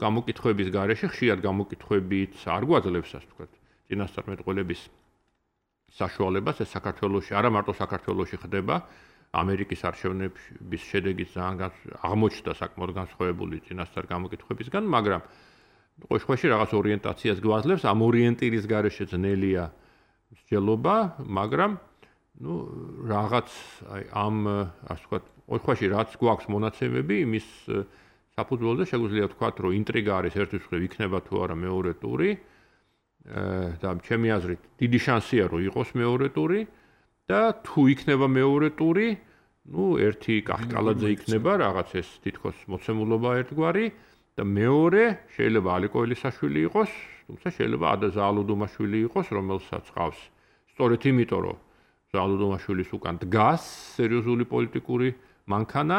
გამოკითხვების გარეშე ხშირად გამოკითხვებიც არ გვაძლევს ასე ვთქვათ, წინასწარმეტყველების საშუალებას ეს საქართველოში, არა მარტო საქართველოში ხდება, ამერიკის არჩევნების შედეგიც ძალიან აღმოჩნდა საკმაოდ განსხვავებული წინასწარ გამოკითხვებისგან, მაგრამ ყოველ შემთხვევაში რაღაც ორიენტაციას გვაძლევს, ამ ორიენტირის გარეშე ძნელია მსჯელობა, მაგრამ ნუ რაღაც აი ამ ასე ვთქვათ, ყოველ შემთხვევაში რაც გვაქვს მონაცემები, იმის საფუძველზე შეგვიძლია ვთქვათ, რომ ინტრიგა არის ერთის მხრივ იქნება თუ არა მეორე ტური და ჩემი აზრით დიდი შანსია რომ იყოს მეორე ტური და თუ იქნება მეორე ტური, ნუ ერთი კახკალაძე იქნება რაღაც ეს თითქოს მოცემულობა ერთგვარი და მეორე შეიძლება ალიკო ელისაშვილი იყოს, თუმცა შეიძლება ადა ზაალუდუმაშვილი იყოს, რომელსაც ყავს. სწორედ იმიტომ რომ ზაალუდუმაშვილის უკან დგას სერიოზული პოლიტიკური მანქანა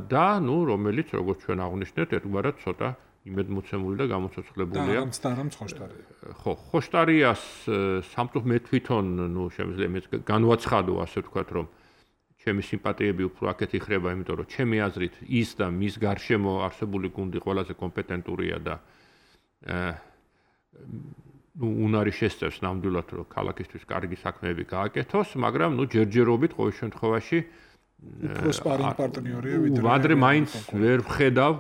და ნუ რომელიც როგორც ჩვენ აღვნიშნეთ, ერთგვარად ცოტა იმედმოცემული და გამოცოცხლებულია. და არამც ხოშტარია. ხო, ხოშტარიას სამწუხ მე თვითონ, ნუ შემიძლია მე განვაცხადო, ასე ვთქვათ, რომ ჩემი სიმპათიები უფრო აქეთ იხრება, იმიტომ რომ ჩემი აზრით ის და მის გარშემო არსებული გუნდი ყველაზე კომპეტენტურია და ნუ უნარი შესწევს ნამდვილად რომ ქალაქისთვის კარგი საქმეები გააკეთოს, მაგრამ ნუ ჯერჯერობით ყოველ შემთხვევაში უფრო სპარინგ პარტნიორია ვიდრე ვადრე მაინც ვერ ვხედავ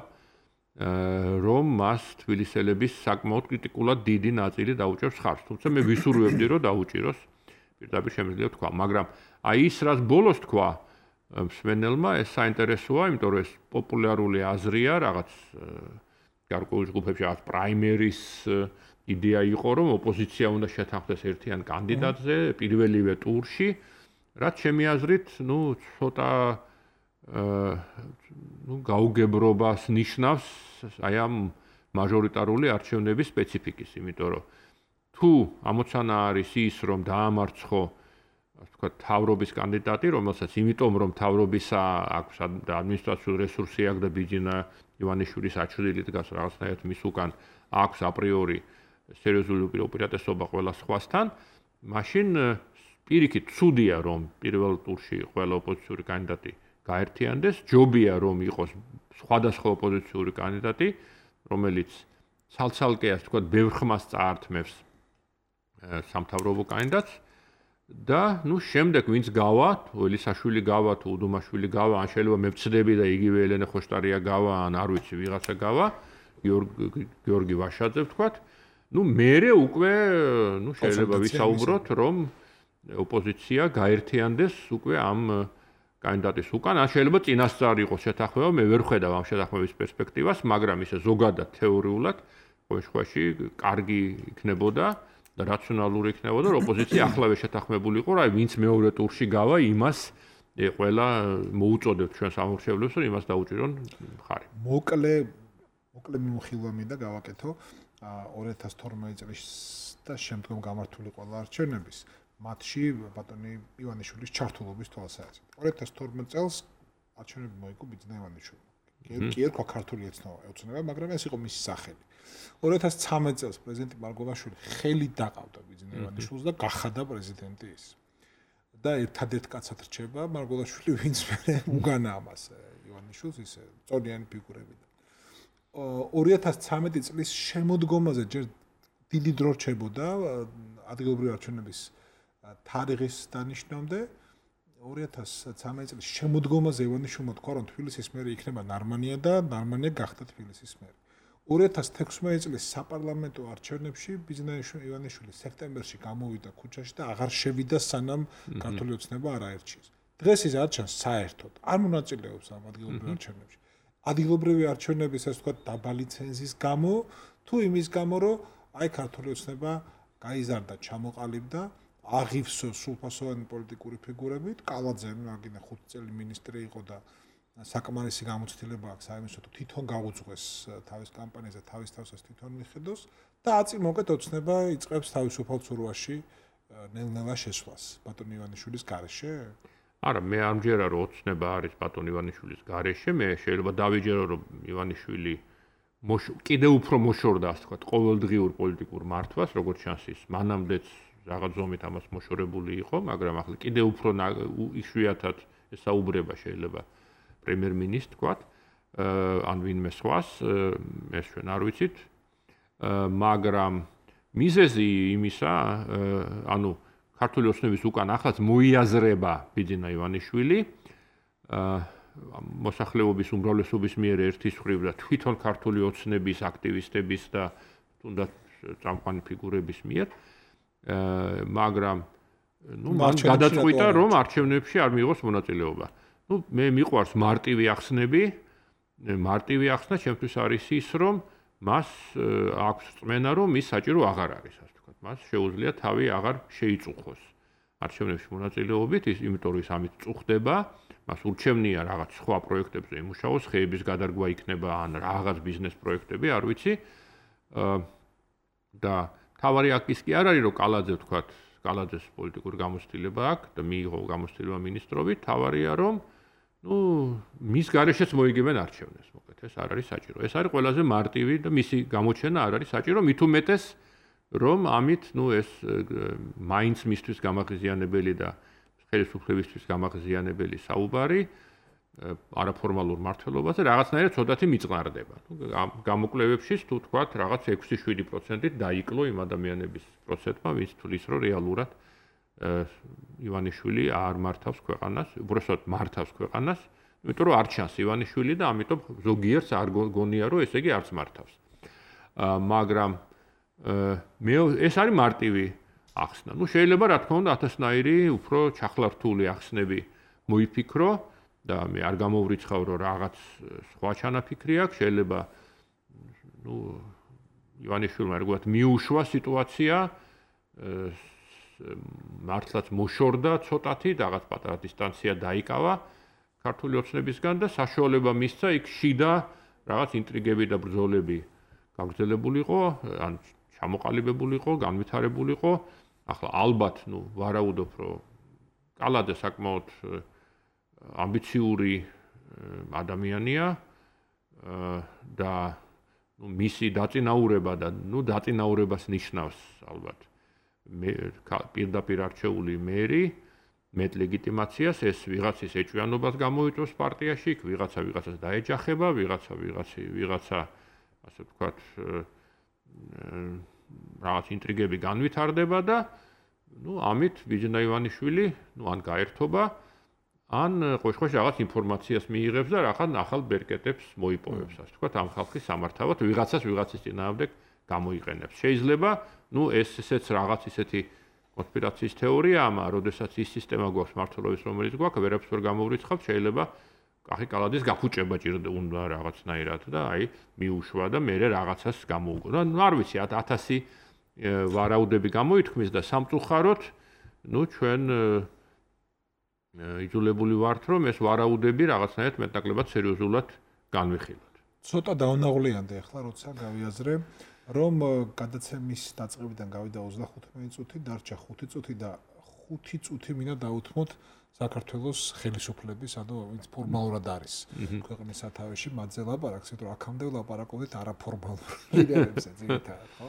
რომ მას თბილისელების საკმაოდ კრიტიკულად დიდი ნაწილი დაუჭერს ხარს. თუმცა მე ვისურვებდი რომ დაუჭიროს, პირდაპირ შემიძლია ვთქვა, მაგრამ აი ის რაც ბოლოს თქვა მსმენელმა, ეს საინტერესოა, იმიტომ რომ ეს პოპულარული აზრია, რაღაც გარკვეულ ჯგუფებში რაღაც პრაიმერის იდეა იყო, რომ ოპოზიცია უნდა შეთანხმდეს ერთიან კანდიდატზე პირველივე ტურში, რაც ჩემი აზრით, ნუ ცოტა ნუ გაუგებრობას ნიშნავს აი ამ მაჟორიტარული არჩევნების სპეციფიკის, იმიტომ რომ თუ ამოცანა არის ის, რომ დაამარცხო, ასე ვთქვათ, თავრობის კანდიდატი, რომელსაც იმიტომ რომ თავრობისა აქვს ადმინისტრაციული რესურსი აქვს და ბიძინა ივანიშვილის აჩვლილი დგას რაღაცნაირად მის უკან აქვს აპრიორი სერიოზული უპირატესობა ყველა სხვასთან, მაშინ პირიქით ცუდია რომ პირველ ტურში ყველა ოპოზიციური კანდიდატი გაერთიანდეს, ჯობია რომ იყოს სხვადასხვა ოპოზიციური კანდიდატი, რომელიც ცალ-ცალკე ასე ვთქვათ, ბევრ ხმას წაართმევს სამთავრობო კანდიდატს და ნუ შემდეგ ვინც გავა, თუ ელისაშვილი გავა, თუ უდუმაშვილი გავა, ან შეიძლება მე ვწდები და იგივე ელენე ხოშტარია გავა, ან არ ვიცი ვიღაცა გავა, გიორგი ვაშაძე ვთქვათ, ნუ მერე უკვე ნუ შეიძლება ვისაუბროთ, რომ ოპოზიცია გაერთიანდეს უკვე ამ კანდიდატის უკან, ან შეიძლება წინასწარ იყოს შეთანხმება, მე ვერ ხედავ ამ შეთანხმების პერსპექტივას, მაგრამ ისე ზოგადად თეორიულად ყოველ შემთხვევაში კარგი იქნებოდა და რაციონალური იქნებოდა, რომ ოპოზიცია ახლავე შეთანხმებულიყო, რა ვინც მეორე ტურში გავა, იმას ყველა მოუწოდებთ ჩვენს ამორჩევლებს, რომ იმას დაუჭირონ მხარი. მოკლე მოკლე მიმოხილვა მინდა გავაკეთო ორი ათას თორმეტი წლის და შემდგომ გამართული ყველა არჩევნების მათში ბატონი ივანიშვილის ჩართულობის თვალსაზრისით. ორი ათას თორმეტი წელს არჩევნები მოიგო ბიძინა ივანიშვილმა. კი ერქვა ქართული ოცნება, მაგრამ ეს იყო მისი სახელი. ორი ათას ცხრამეტი წელს პრეზიდენტი მარგველაშვილი ხელით დაყავდა ბიძინა ივანიშვილს და გახადა პრეზიდენტი ის. და ერთადერთ კაცად რჩება მარგველაშვილი, ვინც მე უგანა ამას ივანიშვილს, ისე წონიანი ფიგურები. ორი ათას ცხრამეტი წლის შემოდგომაზე ჯერ დიდი დრო რჩებოდა ადგილობრივი არჩევნების თარიღის დანიშნამდე. ორი ათას ცხრამეტი წლის შემოდგომაზე ივანიშვილმა თქვა, რომ თბილისის მერი იქნება ნარმანია და ნარმანია გახდა თბილისის მერი. ორი ათას თექვსმეტი წლის საპარლამენტო არჩევნებში ბიზნაიშვილი ივანიშვილი სექტემბერში გამოვიდა ქუჩაში და აღარ შევიდა სანამ ქართული ოცნება არ აერჩიეს. დღეს ის არ ჩანს საერთოდ. არ მონაწილეობს ამ ადგილობრივ არჩევნებში. ადგილობრივი არჩევნების ასე ვთქვათ დაბალი ცენზის გამო თუ იმის გამო რომ აი ქართული ოცნება გაიზარდა, ჩამოყალიბდა, აღივსო სრულფასოვანი პოლიტიკური ფიგურებით, კალაძე მაგინა ხუთი წელი მინისტრი იყო და საკმარისი გამოცდილება აქვს საერთოდ თვითონ გაუძღვეს თავის კამპანიაზე, თავის თავსაც თვითონ მიხედოს და აწი მოკეთ ოცნება იწყებს თავისუფალ ცურვაში ნელ-ნელა შესვლას ბატონ ივანიშვილის გარეშე? არა, მე არ მჯერა რომ ოცნება არის ბატონ ივანიშვილის გარეშე, მე შეიძლება დავიჯერო რომ ივანიშვილი კიდევ უფრო მოშორდა, ასე ვთქვათ, ყოველდღიურ პოლიტიკურ მართვას, როგორც ჩანს ის მანამდეც რაღაც ზომით ამას მოშორებული იყო, მაგრამ ახლა კიდევ უფრო იშვიათად ესაუბრება შეიძლება პრემიერ-მინისტრს თქვათ, ან ვინმე სხვას, ეს ჩვენ არ ვიცით, მაგრამ მიზეზი იმისა, ანუ ქართული ოცნების უკან ახლაც მოიაზრება ბიძინა ივანიშვილი, მოსახლეობის უმრავლესობის მიერ ერთის მხრივ და თვითონ ქართული ოცნების აქტივისტების და თუნდაც წამყვანი ფიგურების მიერ, მაგრამ ნუ მან გადაწყვიტა რომ არჩევნებში არ მიიღოს მონაწილეობა. ნუ მე მიყვარს მარტივი ახსნები, მარტივი ახსნა ჩემთვის არის ის, რომ მას აქვს წმენა, რომ ის საჭირო აღარ არის, ასე ვთქვათ. მას შეუძლია თავი აღარ შეიწუხოს არჩევნებში მონაწილეობით, ის იმიტომ რომ ის ამით წუხდება, მას ურჩევნია რაღაც სხვა პროექტებზე იმუშაოს, ხეების გადარგვა იქნება ან რაღაც ბიზნეს პროექტები, არ ვიცი. და თავარი აქ ის კი არ არის, რომ კალაძე ვთქვათ, კალაძეს პოლიტიკური გამოცდილება აქვს და მიიღო გამოცდილება მინისტრობით, თავარია რომ ნუ მის გარეშეც მოიგებენ არჩევნებს, მოკლედ ეს არ არის საჭირო. ეს არის ყველაზე მარტივი და მისი გამოჩენა არ არის საჭირო, მით უმეტეს რომ ამით ნუ ეს მაინც მისთვის გამაღიზიანებელი და ხელისუფლებისთვის გამაღიზიანებელი საუბარი არაფორმალურ მართლობაზე რაღაცნაირად ცოტათი მიწყნარდება. გამოკვლევებში თუ თქვათ რაღაც ექვსი შვიდი პროცენტით დაიკლო იმ ადამიანების პროცენტმა, ვინც თulis რომ რეალურად ივანიშვილი არ მართავს ქვეყანას, უბრალოდ მართავს ქვეყანას, იმიტომ რომ არ ჩანს ივანიშვილი და ამიტომ ზოგიერთს არ გონია რომ ესე იგი არც მართავს. მაგრამ მე ეს არის მარტივი ახსნა. ნუ შეიძლება რა თქმა უნდა ათასნაირი უფრო ჩახლართული ახსნები მოიფიქრო და მე არ გამოვრიცხავ რომ რაღაც სხვა ჩანაფიქრი აქვს, შეიძლება ნუ ივანიშვილმა როგორც მიუშვა სიტუაცია, მართლაც მოშორდა ცოტათი, რაღაც პატარა დისტანცია დაიკავა ქართული ოცნებისგან და საშუალება მისცა იქ შიდა რაღაც ინტრიგები და ბრძოლები გაგრძელებულიყო, ან ჩამოყალიბებულიყო, განვითარებულიყო. ახლა ალბათ, ნუ ვარაუდობ, რომ კალაძე საკმაოდ ამბიციური ადამიანია და ნუ მისი დაწინაურება და ნუ დაწინაურებას ნიშნავს ალბათ მე პირდაპირ არჩეული მერი მეტ ლეგიტიმაციას ეს ვიღაცის ეჭვიანობას გამოიწვევს პარტიაში, ვიღაცა ვიღაცას დაეჯახება, ვიღაცა ვიღაცი ვიღაცა ასე ვთქვათ რაღაც ინტრიგები განვითარდება და ნუ ამით ბიძინა ივანიშვილი ნუ ან გაერთობა ან ყოველშაბათს რაღაც ინფორმაციას მიიღებს და რაღაც ახალ ბერკეტებს მოიპოვებს, ასე ვთქვათ, ამ ხალხის სამართავად ვიღაცას ვიღაცის წინააღმდეგ გამოიყენებს. შეიძლება, ნუ ეს ესეც რაღაც ისეთი კონსპირაციის თეორია ამა, როდესაც ის სისტემა გვაქვს მართლობის, რომელიც გვაქვს, ვერაფერს ვერ გამოვრიცხავთ, შეიძლება კახი კალაძის გაფუჭება ჭირდა უნდა რაღაცნაირად და აი მიუშვა და მე რაღაცას გამოუგო. და არ ვიცი, ათასი ვარაუდები გამოითქმის და სამწუხაროდ, ნუ ჩვენ იძულებული ვართ, რომ ეს ვარაუდები რაღაცნაირად მეტნაკლებად სერიოზულად განვიხილოთ. ცოტა დაუნაღვლიანდი ახლა, როცა გავიაზრე, რომ გადაცემის დაწყებიდან გავიდა ოცდახუთი წუთი, დარჩა ხუთი წუთი და ხუთი წუთი მინდა დავუთმოთ საქართველოს ხელისუფლების, ანუ ვინც ფორმალურად არის ქვეყნის სათავეში, მათზე ლაპარაკს, იმიტომ რომ აქამდე ვლაპარაკობდით არაფორმალურ ლიდერებზე, ძირითადად, ხო?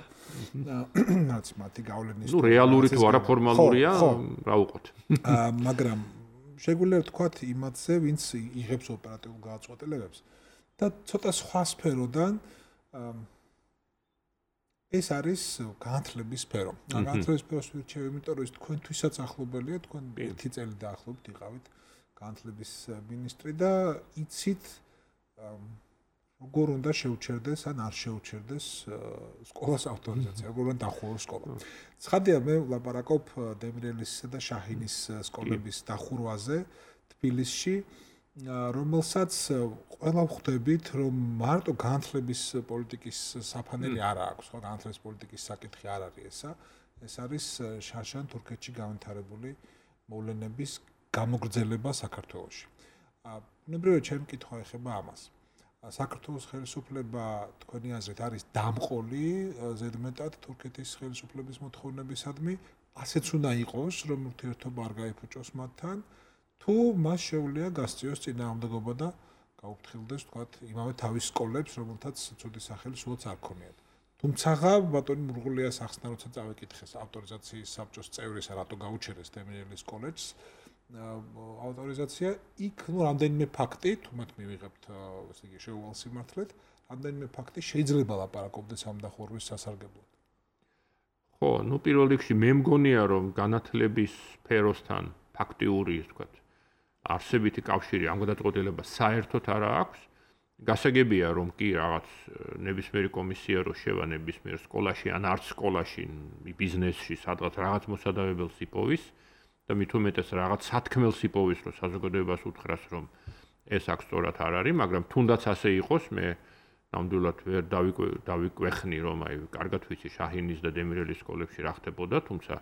რაც მათი გავლენის ნუ რეალური თუ არაფორმალურია, რა უყოთ. მაგრამ შეგვიძლია ვთქვათ იმათზე, ვინც იღებს ოპერატიულ გადაწყვეტილებებს და ცოტა სხვა სფეროდან ეს არის განათლების სფერო. განათლების სფეროს ვირჩევ, იმიტომ რომ ეს თქვენთვისაც ახლობელია, თქვენ ერთი წელი დაახლოებით იყავით განათლების მინისტრი და იცით როგორ უნდა შეუჩერდეს ან არ შეუჩერდეს სკოლას ავტორიზაცია, როგორ უნდა დახუროს სკოლა. ცხადია, მე ვლაპარაკობ დემრიელისა და შაჰინის სკოლების დახურვაზე თბილისში, რომელსაც ყველა ვხვდებით, რომ მარტო განათლების პოლიტიკის საფანელი არ აქვს, ხო, განათლების პოლიტიკის საკითხი არ არის ესა. ეს არის შარშან თურქეთში განვითარებული მოვლენების გამოგრძელება საქართველოში. ბუნებრივია, ჩემი კითხვა ეხება ამას. საქართველოს ხელისუფლება თქვენი აზრით არის დამყოლი ზედმეტად თურქეთის ხელისუფლების მოთხოვნებისადმი, ასეც უნდა იყოს, რომ ურთიერთობა არ გაიფუჭოს მათთან, თუ მას შეუძლია გასწიოს წინააღმდეგობა და გაუფრთხილდეს, თქვათ, იმავე თავის სკოლებს, რომელთაც ცუდი სახელი სულაც არ ქონიათ. თუმცა ბატონი მურღულიას ახსნა, როცა წავეკითხეს ავტორიზაციის საბჭოს წევრისა, რატო გაუჩერეს დემრიელის კოლეჯს ავტორიზაცია, იქ ნუ რამდენიმე ფაქტი, თუმცა მივიღებთ, ესე იგი, შეუვალ სიმართლეთ, რამდენიმე ფაქტი შეიძლება ლაპარაკობდეს ამ დახურვის სასარგებლოდ. ხო, ნუ პირველ რიგში მე მგონია, რომ განათლების სფეროსთან ფაქტიური, ისე ვთქვათ, არსებითი კავშირი ამ გადაწყვეტილებას საერთოდ არ აქვს. გასაგებია, რომ კი რაღაც ნებისმიერი კომისია რო შევა ნებისმიერ სკოლაში ან არც სკოლაში, ბიზნესში, სადღაც რაღაც მოსადავებელს იპოვის და მით უმეტეს რაღაც სათქმელს იპოვის, რომ საზოგადოებას უთხრას, რომ ეს აქ სწორად არ არის, მაგრამ თუნდაც ასე იყოს, მე ნამდვილად ვერ დავიკვეხნი, რომ აი კარგად ვიცი შაჰინის და დემრიელის სკოლებში რა ხდებოდა, თუმცა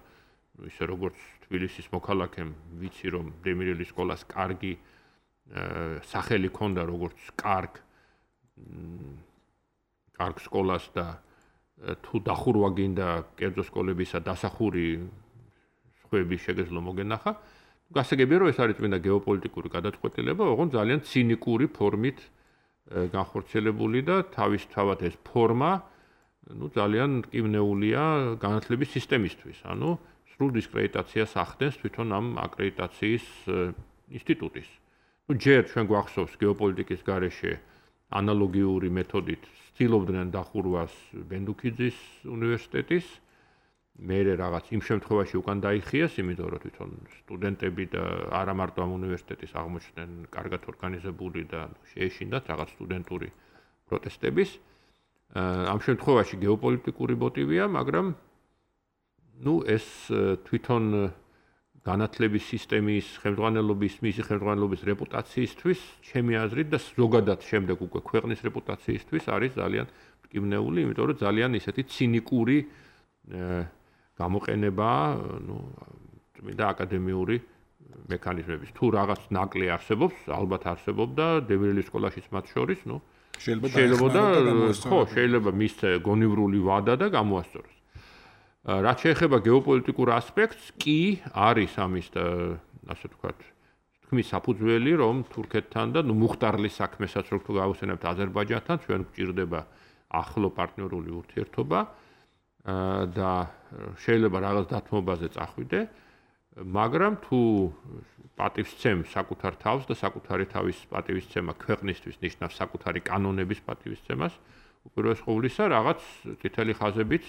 ისე როგორც თბილისის მოქალაქემ ვიცი, რომ დემრიელის სკოლას კარგი სახელი ჰქონდა, როგორც კარგ კარგ სკოლას და თუ დახურვა გინდა კერძო სკოლებისა დასახური სხვები შეგეძლო მოგენახა. გასაგებია, რომ ეს არის წმინდა გეოპოლიტიკური გადაწყვეტილება, ოღონდ ძალიან ცინიკური ფორმით განხორციელებული და თავისთავად ეს ფორმა, ну, ძალიან მტკივნეულია განათლების სისტემისთვის. ანუ სრულ დისკრედიტაციას ახდენს თვითონ ამ აკრედიტაციის ინსტიტუტის. ну, ჯერ ჩვენ გვახსოვს გეოპოლიტიკის გარეშე ანალოგიური მეთოდით ცდილობდნენ დახურვას ბენდუქიძის უნივერსიტეტის. მერე რაღაც იმ შემთხვევაში უკან დაიხიეს, იმიტომ რომ თვითონ სტუდენტები და არა მარტო ამ უნივერსიტეტის აღმოჩნდნენ კარგად ორგანიზებული და შეეშინდათ რაღაც სტუდენტური პროტესტების. ამ შემთხვევაში გეოპოლიტიკური მოტივია, მაგრამ ну, ეს თვითონ განათლების სისტემის ხელმძღვანელობის, მისი ხელმძღვანელობის რეპუტაციისთვის, ჩემი აზრით და ზოგადად შემდეგ უკვე ქვეყნის რეპუტაციისთვის არის ძალიან მტკივნეული, იმიტომ რომ ძალიან ისეთი ცინიკური გამოყენება, ну, წმინდა აკადემიური მექანიზმების. თუ რაღაც ნაკლი არსებობს, ალბათ არსებობდა დემრიელის სკოლაშიც მათ შორის, ну, შეიძლება და ხო, შეიძლება მის გონივრული ვადა და გამოასწოროს. რაც შეეხება გეოპოლიტიკურ ასპექტს, კი არის ამის ასე ვთქვათ, თქმის საფუძველი, რომ თურქეთთან და ну მუხტარლის საქმესაც რო თუ გავუსვენებთ აზერბაიჯანთან, ჩვენ გვჭირდება ახლო პარტნიორული ურთიერთობა და შეიძლება რაღაც დათმობაზე წახვიდე, მაგრამ თუ პატივსცემ საკუთარ თავს და საკუთარი თავის პატივისცემა ქვეყნისთვის ნიშნავს საკუთარი კანონების პატივისცემას, უპირველეს ყოვლისა რაღაც წითელი ხაზებით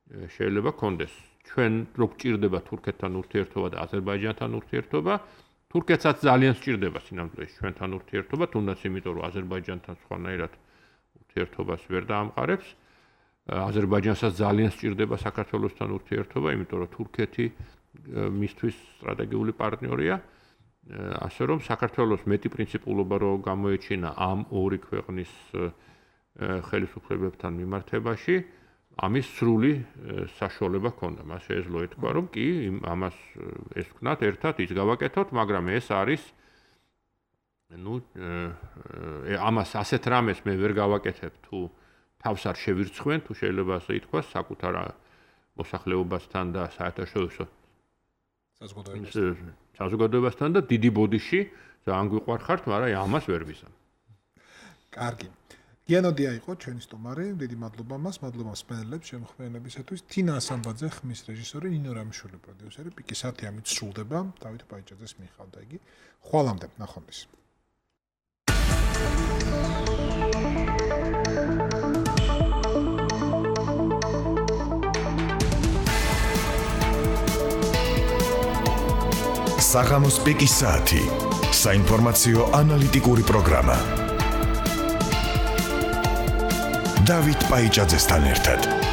შეიძლება კონდეს. ჩვენ რო გვჭირდება თურქეთთან ურთიერთობა და აზერბაიჯანთან ურთიერთობა, თურქეთსაც ძალიან სჭირდება სინამდვილეში ჩვენთან ურთიერთობა, თუნდაც იმიტომ რომ აზერბაიჯანთან სხვანაირად ურთიერთობას ვერ დაამყარებს. აზერბაიჯანსაც ძალიან სჭირდება საქართველოსთან ურთიერთობა, იმიტომ რომ თურქეთი მისთვის სტრატეგიული პარტნიორია. ასე რომ საქართველოს მეტი პრინციპულობა რო გამოეჩინა ამ ორი ქვეყნის ხელისუფლებებთან მიმართებაში, ამის სრული საშუალება ჰქონდა. მას შეეძლო ეთქვა, რომ კი, ამას ეს ვქნათ ერთად ის გავაკეთოთ, მაგრამ ეს არის ну, ამას ასეთ რამეს მე ვერ გავაკეთებ, თუ თავს არ შევირცხვენ, თუ შეიძლება ასე ითქვას, საკუთარ მოსახლეობასთან და საერთაშორისო საზოგადოებასთან და დიდი ბოდიში ძალიან გვიყვარხართ, მაგრამ ამას ვერ ვიზამ. კარგი. გიანოდია იყო ჩვენი სტუმარი, დიდი მადლობა მას, მადლობა მსმენელებს შემოქმედებისათვის. თინა ასამბაძე, ხმის რეჟისორი, ნინო რამიშვილი პროდიუსერი, პიკი საათი ამით სრულდება. დავით პაიჭაძეს მიჰყავდა იგი. ხვალამდე, ნახვამდის. საღამოს პიკის საათი. საინფორმაციო ანალიტიკური პროგრამა. დავით პაიჭაძესთან ერთად.